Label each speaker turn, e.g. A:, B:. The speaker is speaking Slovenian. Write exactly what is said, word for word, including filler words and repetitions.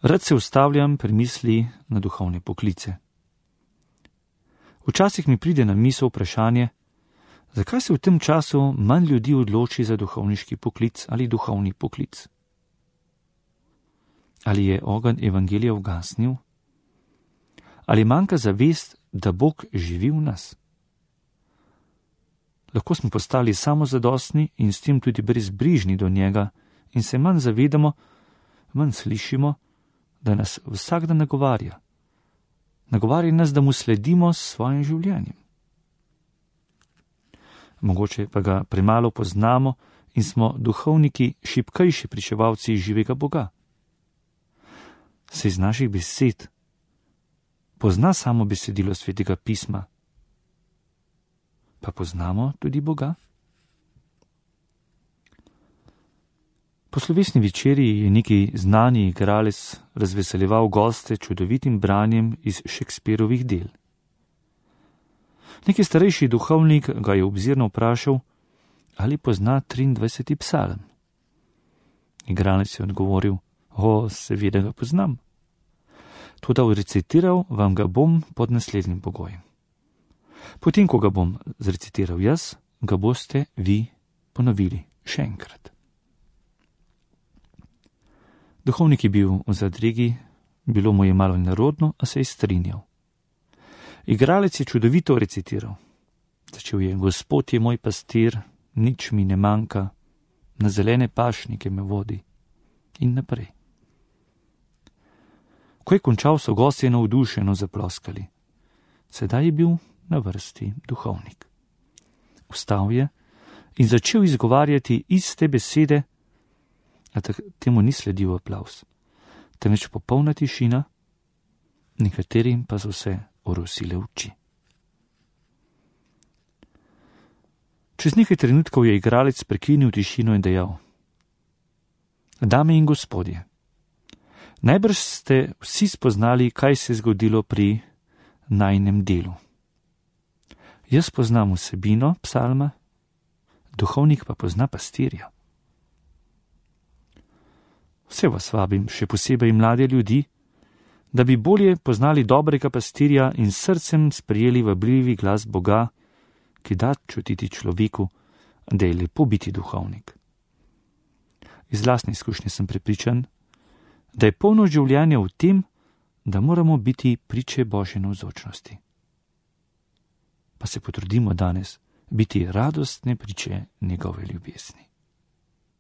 A: Rad se ustavljam pri misli na duhovne poklice. Včasih mi pride na misel vprašanje, zakaj se v tem času manj ljudi odloči za duhovniški poklic ali duhovni poklic? Ali je ogenj evangelija ugasnil? Ali manjka zavest, da Bog živi v nas? Lahko smo postali samozadostni in s tem tudi brezbrižni do njega in se manj zavedamo, manj slišimo, da nas vsak dan nagovarja. Nagovarja nas, da mu sledimo s svojim življenjem. Mogoče pa ga premalo poznamo in smo duhovniki šibkejši pričevalci živega Boga. Se iz naših besed pozna samo besedilo Svetega pisma, pa poznamo tudi Boga? Po slovesni večerji je neki znani igralec razveseljeval goste čudovitim branjem iz Shakespearovih del. Neki starejši duhovnik ga je obzirno vprašal, ali pozna triindvajseti psalm. Igralec je odgovoril, o, seveda ga poznam. Toda recitiral vam ga bom pod naslednjim pogojem. Potem, ko ga bom zrecitiral jaz, ga boste vi ponovili še enkrat. Duhovnik je bil v zadregi, bilo mu je malo nerodno, a se je strinjal. Igralec je čudovito recitiral. Začel je, Gospod je moj pastir, nič mi ne manjka, na zelene pašnike me vodi in naprej. Ko je končal, so gostje navdušeno zaploskali. Sedaj je bil na vrsti duhovnik. Vstal je in začel izgovarjati iste besede, a temu ni sledil aplavz, temveč popolna tišina, nekaterim pa so se orosile oči. Čez nekaj trenutkov je igralec prekinil tišino in dejal: Dame in gospodje, najbrž ste vsi spoznali, kaj se je zgodilo pri najinem delu. Jaz poznam vsebino psalma, duhovnik pa pozna pastirja. Vse vas vabim, še posebej mlade ljudi, da bi bolje poznali dobrega pastirja in srcem sprejeli vabljivi glas Boga, ki da čutiti človeku, da je lepo biti duhovnik. Iz lastne izkušnje sem prepričan, da je polno življenja v tem, da moramo biti priče Božje navzočnosti. Pa se potrudimo danes biti radostne priče njegove ljubezni.